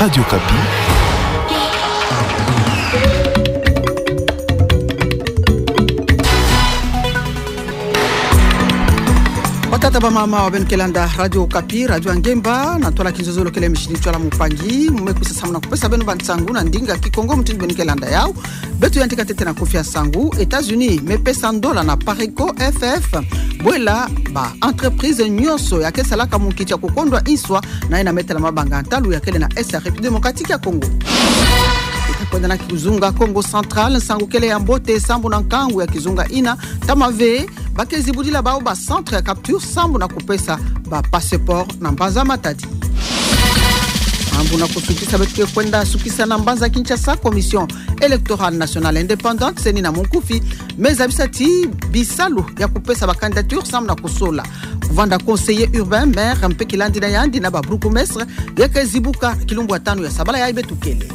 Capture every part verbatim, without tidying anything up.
Radio Okapi. Batata, bamama, wa beno ke landa Radio Okapi, radio ya ngemba, na twala kinzozolo kele mishini twala mupangi, mu me kwisa sambu na kupesa beno bansangu na ndinga Kikongo mutindu beno ke landa yau. Beto yandi ka ntete na kufi ya nsangu. États-Unis me pesa ndola na Pareco F F, bwela ba entreprise nyonso ya ke salaka munkiti ya kukondwa nswa na yina me tala mabanga ntalu ya kele na Est ya République Démocratique ya Congo. Ita kwenda na kizunga Kongo Central, nsangu kele ya mbote sambu na nkangu ya kizunga yina ntama ve ba ke zibudila bau ba centre ya capture sambu na kupesa ba passeport na mbanza Matadi. Sambu na kusukisa, beto ke kwenda sukisa na mbanza Kinshasa. Commission électorale nationale indépendante, C E N I na munkufi, me zabisa ti bisalu ya kupesa ba candidature sambu na kusola kuvanda conseiller urbain, maire, mpe kilandi na yandi na ba bourgmestre, ya ke zibuka kilumbu ya tanu ya sabala yayi beto kele.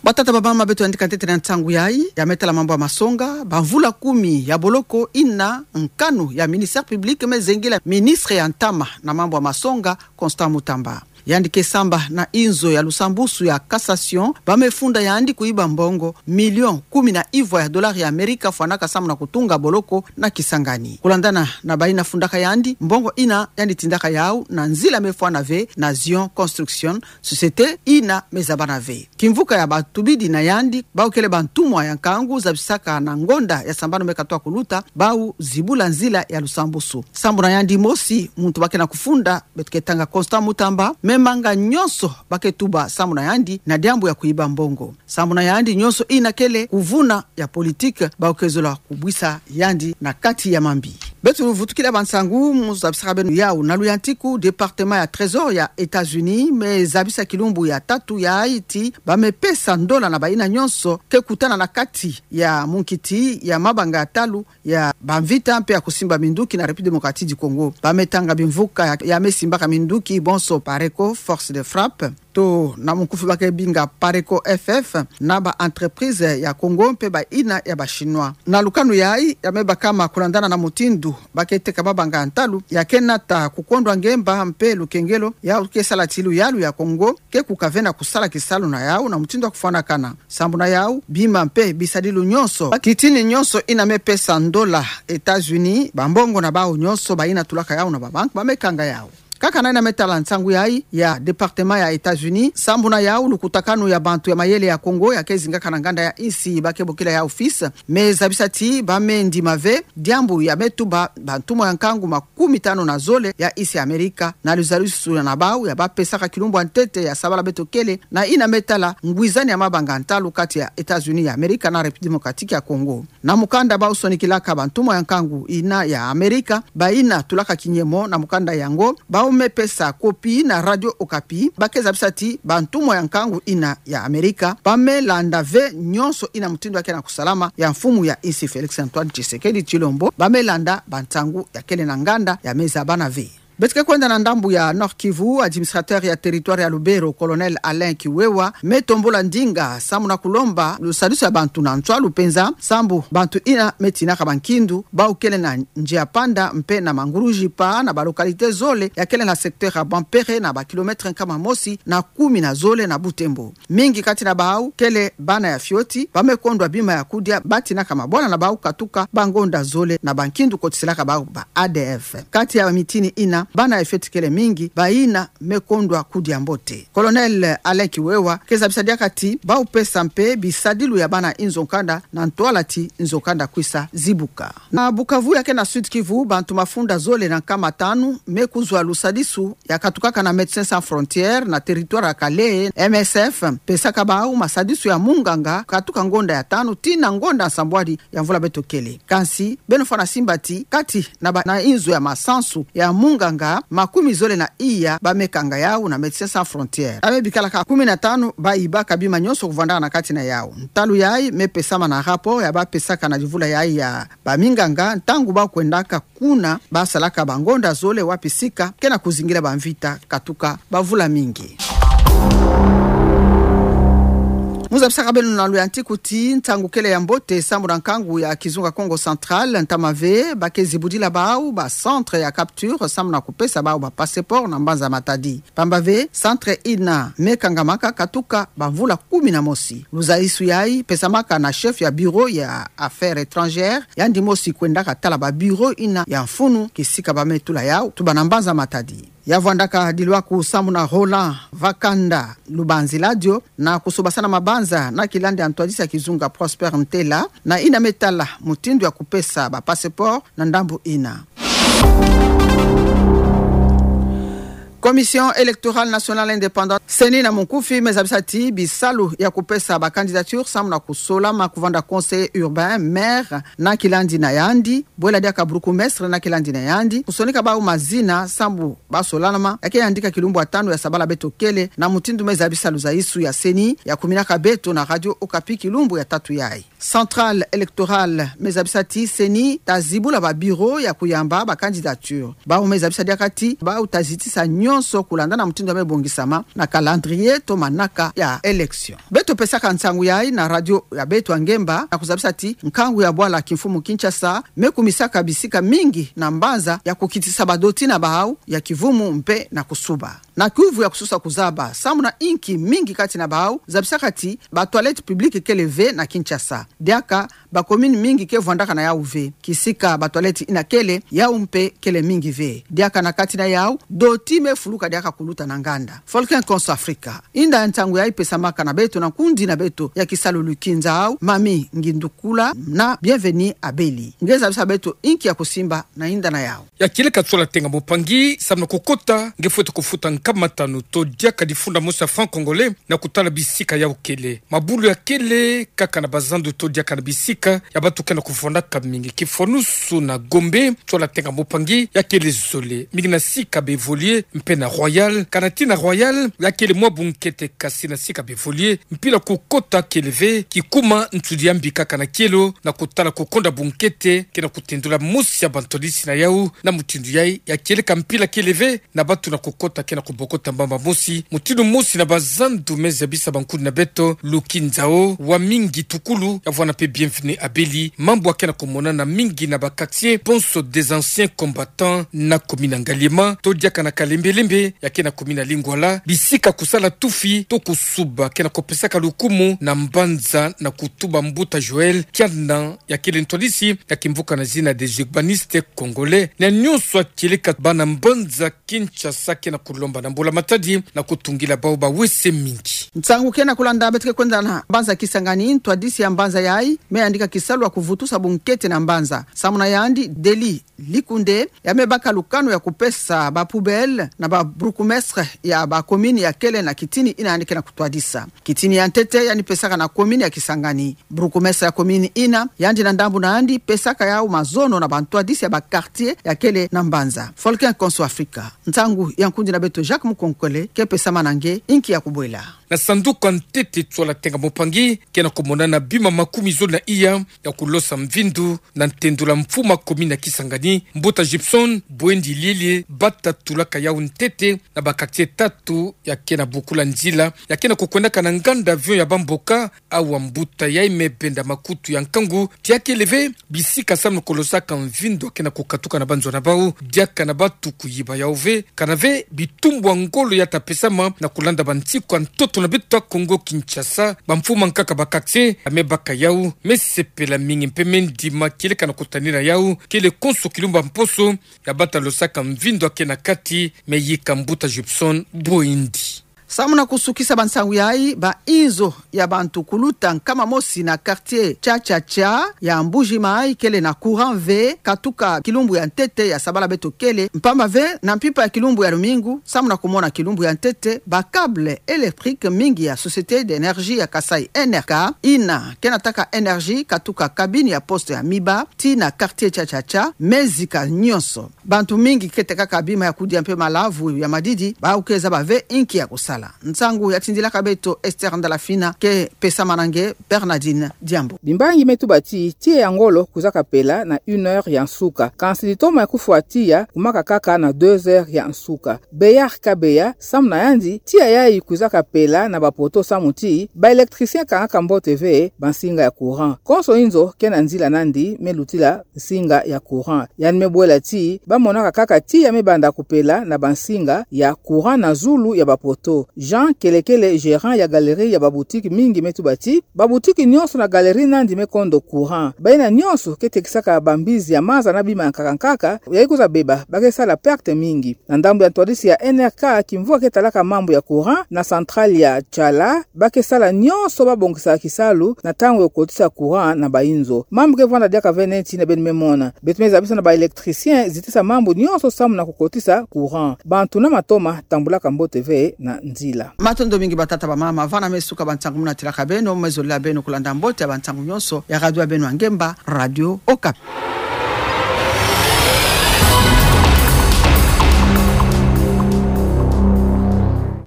Batata, bamama, beto yandi ka ntete na nsangu yayi ya me tala mambu ya masonga. Ba mvula kumi ya boloko yina nkanu ya ministère public me zengela ministre ya ntama na mambu ya masonga, Constant Mutamba. Yandi ke samba na inzo ya lusambusu ya cassation, ba me funda yandi kuyiba mbongo million kumi na ivwa ya dolari ya Amerika fwanaka sambu na kutunga boloko na Kisangani. Kulandana na bayina fundaka yandi, mbongo yina yandi tindaka yau na nzila me fwana ve na Zion Construction, société yina me zabana ve kimvuka ya batubidi na yandi bau kele bantumwa ya nkangu zabisaka na ngonda ya sambanu me katuka kuluta bau zibula nzila ya lusambusu. Sambu na yandi mosi, muntu ba ke na kufunda, beto ke tanga Constant Mutamba, me manga nyonso ba ke tuba sambu na yandi na diambu ya kuyiba mbongo. Sambu na yandi nyonso yina kele kuvuna ya politique, bau ke zola kubwisa yandi na kati ya mambi. Beto vutukila bansangu mu zabisaka beno yau na luyantiku. Département ya Trésor ya États-Unis me zabisa kilumbu ya tatu yayi ti ba me pesa ndola na bayina nyonso ke kutana na kati ya munkiti ya mabanga ya ntalu ya bamvita mpe ya kusimba minduki na République Démocratique du Congo. Ba me tanga bimvuka ya, ya me simbaka minduki bonso Pareco, Force de Frappe, to na munkufi ba ke binga Pareco F F, na ba entreprise ya Congo mpe bayina ya ba Chinois. Na lukanu yayi ya me bakama kulandana na mutindu ba ke teka mabanga ya ntalu ya ke nata kukondwa ngemba mpe lukengelo, yau ke sala ti luyalu ya Congo ke kukavena kusala kisalu na yau na mutindu ya kufwanakana. Sambu na yau, bima mpe bisadilu nyonso, ba kitini nyonso yina me pesa ndola États-Unis, bambongo na bau nyonso bayina tulaka yau na babanque, ba me kanga yau. Kaka na yina me tala nsangu yayi ya département ya États-Unis, sambu na yau lukutakanu ya bantu ya mayele ya Congo ya ke zingaka na nganda ya insi ba ke bokila yau FIS, me zabisa ti ba me ndima ve diambu ya me tuba bantumwa ya nkangu makumi tanu na zole ya insi ya Amerika na luzalisu na bau ya ba pesaka kilumbu ya ntete ya sabala beto kele, na yina me tala ngwizani ya mabanga ntalu kati ya États-Unis ya Amerika na République Démocratique ya Congo. Na mukanda bau sonikilaka bantumwa ya nkangu yina ya Amerika, bayina tulaka kinyemo na mukanda yango, bau me pesa copie na Radio Okapi, ba ke zabisa ti bantumwa ya nkangu yina ya Amerika ba me landa ve nyonso yina mutindu ya ke na kusalama ya mfumu ya insi Félix Antoine Tshisekedi Tshilombo, ba me landa bansangu ya kele na nganda ya me zabana ve. Beto ke kwenda na ndambu ya Nord-Kivu. Administrateur ya territoire ya Lubero, Colonel Alain Kiwewa, me tombula ndinga sambu na kulomba lusadisu ya bantu na nswalu penza, sambu bantu yina me tinaka bankindu bau kele na Nziapanda mpe na Mangurujipa, na ba localité zole ya kele na secteur ya Bampere, na ba kilomètre nkama mosi na kumi na zole na Butembo. Mingi kati na bau kele bana ya fioti, ba me kondwa bima ya kudia, ba tinaka mabwala na bau katuka bangonda zole na bankindu kotiselaka bau ba A D F. Kati ya mitini yina, bana ya fioti kele mingi, bayina me kondwa kudia mbote. Colonel Alain Kiwewa ke zabisa diaka ti bau pesa mpe bisadilu ya bana inzo nkanda na ntwala ti nzo nkanda kwisa zibuka. Na Bukavu ya ke na Sud-Kivu, bantu mafunda zole na nkama tanu me kuzwa lusadisu ya katukaka na Médecins Sans Frontières na territoire ya Kalehe, M S F, pesaka bau masadisu ya munganga katuka ngonda ya tanu tii na ngonda nsambwadi ya mvula beto kele. Kansi, beno fwana simba ti kati na ba, na inzo ya masansu ya munganga makumi zole na iya ba me kanga yau na Médecins Sans Frontières. Ba me bikalaka kumi na tanu ba yibaka bima nyonso kuvanda na kati na yau. Ntalu yayi me pesama na rapport ya ba pesaka na divula yayi ya baminganga ntangu ba kwendaka kuna ba salaka bangonda zole wapi sika ke na kuzingila bamvita katuka bavula mingi. Mu zabisaka beno na luyantiku ti ntangu kele ya mbote sambu na nkangu ya kizunga Kongo Central, ntama ve ba ke zibudila bawu ba centre ya capture sambu na kupesa bawu ba passeport na mbanza Matadi. Pamba ve centre ina me kangamaka katuka ba mvula kumi na mosi. Luzayisu yayi pesamaka na chef ya bureau ya affaires étrangères, yandi mosi kwendaka tala ba bureau ina ya mfunu kisika ba me tula yawu tuba na mbanza Matadi. Ya vwandaka dilwaku sambu na Roland Vakanda Lubanzi Ladio na kusobasana mabanza na kilandi ya ntwadisi ya kizunga Prosper Ntela, na ina me tala mutindu ya kupesa ba passeport na ndambu ina. Commission électorale nationale indépendante, CENI na munkufi, me zabisa ti bisalu ya kupesa ba candidature sambu na kusolama kuvanda conseiller urbain, maire, na kilandi na yandi, bwela diaka bourgmestre na kilandi na yandi, kusonika bawu mazina sambu ba solanama, ya ke yandika kilumbu ya tanu ya sabala beto kele, na mutindu me zabisa luzayisu ya CENI ya kuminaka beto na Radio Okapi kilumbu ya tatu yayi. Centrale électorale me zabisa ti CENI ta zibula ba bureau ya kuyamba ba candidature. Bawu me zabisa diaka ti bawu ta zitisa nyonso kulanda na mutindu ya me bongisama na calendrier to manaka ya élection. Beto pesaka nsangu yayi na radio ya beto ya ngemba na kuzabisa ti nkangu ya bwala kimfumu Kinshasa me kumisaka bisika mingi na mbanza ya kukitisa ba doti na bawu ya kivumu mpe na kusuba. Na kiuvu ya kususa kuzaba, sambu na inki mingi kati na bawu zabisaka ti ba toilettes publiques kele ve na Kinshasa. Diaka ba commune mingi ke vwandaka na yawu ve. Kisika ba toilettes ina kele, yawu mpe kele mingi ve. Diaka na kati na yawu, doti me fuluka diaka kuluta na nganda. Volcan Konso Afrika. Inda ya nsangu yayi pesamaka na beto na nkundi na beto ya kisalu Lukinza Awu, Mami Ngindukula na Bienvenue Abeli. Nge zabisa beto inki ya kusimba na inda na yawu. Ya kieleka tsola tenga mpangi, sambu na kukota, nge fwete kufuta nkama tanu to diaka difunda mosi ya franc congolais na kutala bisika yawu kele. Mabulu ya kele kaka na bazandu to diaka na bisika ya bantu ke na kuvwandaka mingi. Kifwanusu na Gombe, tsola tenga mpangi ya kele zole, mingi na sika ba Evolue mpe na Royal. Kana tii na Royal, ya kele mwa bunkete, kasi na sika ba Evolue, mpila kukota kele ve, kikuma nsudi ya mbi kaka na kielo na kutala kukonda bunkete ke na kutendula mosi ya bantwadisi na yawu. Na mutindu yayi, ya kieleka mpila kele ve, na bantu na kukota ke na kubokota mbamba mosi, mutindu mosi na bazandu me zabisa bankundi na beto, Lukinza Awu, Wamingi Tukulu, ya vwanda mpe Bienvenue Abeli, mambu ya ke na kumonana mingi na ba quartiers banso des anciens combattants na commune ya Ngaliema, to diaka na Kalembelembe, ya ke na commune ya Lingwala, bisika kusala tufi to kusuba ke na kupesaka lukumu na mbanza na kutuba mbuta Joël Kiana, ya kele ntwadisi ya kimvuka na zina des urbanistes congolais. Na nyonso ya kieleka, bana mbanza Kinshasa ke na kulomba na Mbula Matadi na kutungila bawu ba WC mingi. Nsangu ke na kulanda, beto ke kwenda na mbanza Kisangani. Ntwadisi ya mbanza yayi me yandika kisalu ya kuvutusa bunkete na mbanza. Samu na yandi, Deli Likunde, ya me baka lukanu ya kupesa ba poubelles na ba bourgmestres ya ba communes ya kele na kitini ina yandi ke na kutwadisa. Kitini ya ntete yandi pesaka na commune ya Kisangani. Bourgmestre ya commune ina, yandi na ndambu na yandi pesaka yawu mazono na bantwadisi ya ba quartiers ya kele na mbanza. Volcan Konso Afrika. Nsangu ya nkundi na beto Jacques Mukonkole ke pesama na nge, inki ya kubwela. Na sanduku ya ntete tsola tenga mpangi, ke na kumonana bima makumi zole na iya ya kulosa mvindu na ntendula mfumu ya commune ya Kisangani, mbuta Gibson Bwendi Liele, bata tulaka yawu ntete na ba quartiers tatu ya ke na bokula nzila ya ke na kukwendaka na nganda avion ya bamboka. Awa mbuta yayi me benda makutu ya nkangu ti ya kele ve bisika samu na kulosaka mvindu ya ke na kukatuka na banzo na bawu, diaka na bantu kuyiba yawu ve. Kana ve bitumbu ya ngolo ya ta pesama na kulanda bansiku ya ntoto na beto ya Kongo Kinshasa, bamfumu ya nkaka ba quartiers ya me baka yawu, me sepela mingi mpe me ndima kieleka na kutanina yawu, kele konso kilumbu ya mposo ya bata losaka mvindu ya ke na kati, me yika mbuta Gibson Bwendi. Samu na kusukisa bansangu yayi, ba inzo ya bantu kuluta nkama mosi na quartier Cha Cha Cha ya Mbuji Mayi kele na courant ve, katuka kilumbu ya ntete ya sabala beto kele, mpamba ve na mpimpa ya kilumbu ya lumingu, samu na kumona kilumbu ya ntete, ba câbles électriques mingi ya Société d'énergie ya Kasaï, N R K, ina ke na taka énergie katuka cabine ya poste ya Miba tii na quartier Cha Cha Cha, me zika nyonso. Bantu mingi ke tekaka bima ya kudia mpe malavu ya madidi, bawu ke zaba ve inki ya kusala. Nsangu ya tindilaka beto Esther Ndalafina ke pesamana nge Bernardine Diambu. Bimbangi me tuba ti tiya ya ngolo kwizaka pela na une heure ya nsuka. Kansi litoma ya kufwa tiya kumaka kaka na deux heures ya nsuka. Beyard Kabeya samu na yandi, tiya yayi kwizaka pela na bapoto samu ti ba électricien kangaka mbote ve bansinga ya courant. Konso inzo ke na nzila nandi me lutila nsinga ya courant. Yandi me bwela ti ba monaka kaka tiya me banda kupela na bansinga ya courant na zulu ya bapoto. Jean Kelekele, gérant ya galerie ya baboutique mingi, me tuba ti baboutique nyonso na galerie nandi me kondo courant. Bayina nyonso ke tekisaka bambizi ya maza na bima ya nkaka nkaka, yayi kwiza beba ba ke sala perte mingi. Na ndambu ya ntwadisi ya N R K, kimvuka ke talaka mambu ya courant na centrale ya Tshala, ba ke sala nyonso ba bongisa kisalu na ntangu ya kukotisa courant na bayinzo. Mambu ke vwanda diaka ve neti na beno me mona. Beto me zabisa na ba électricien zitisa mambu nyonso samu na kukotisa courant. Bantu na matoma tambulaka mbote ve na nzila. Matondo mingi batata bamama, vana me suka ba nsangu muna tilaka beno, me zolila beno kulanda mbote ya ba nsangu nyonso ya radio ya beno ya ngemba, Radio Okapi.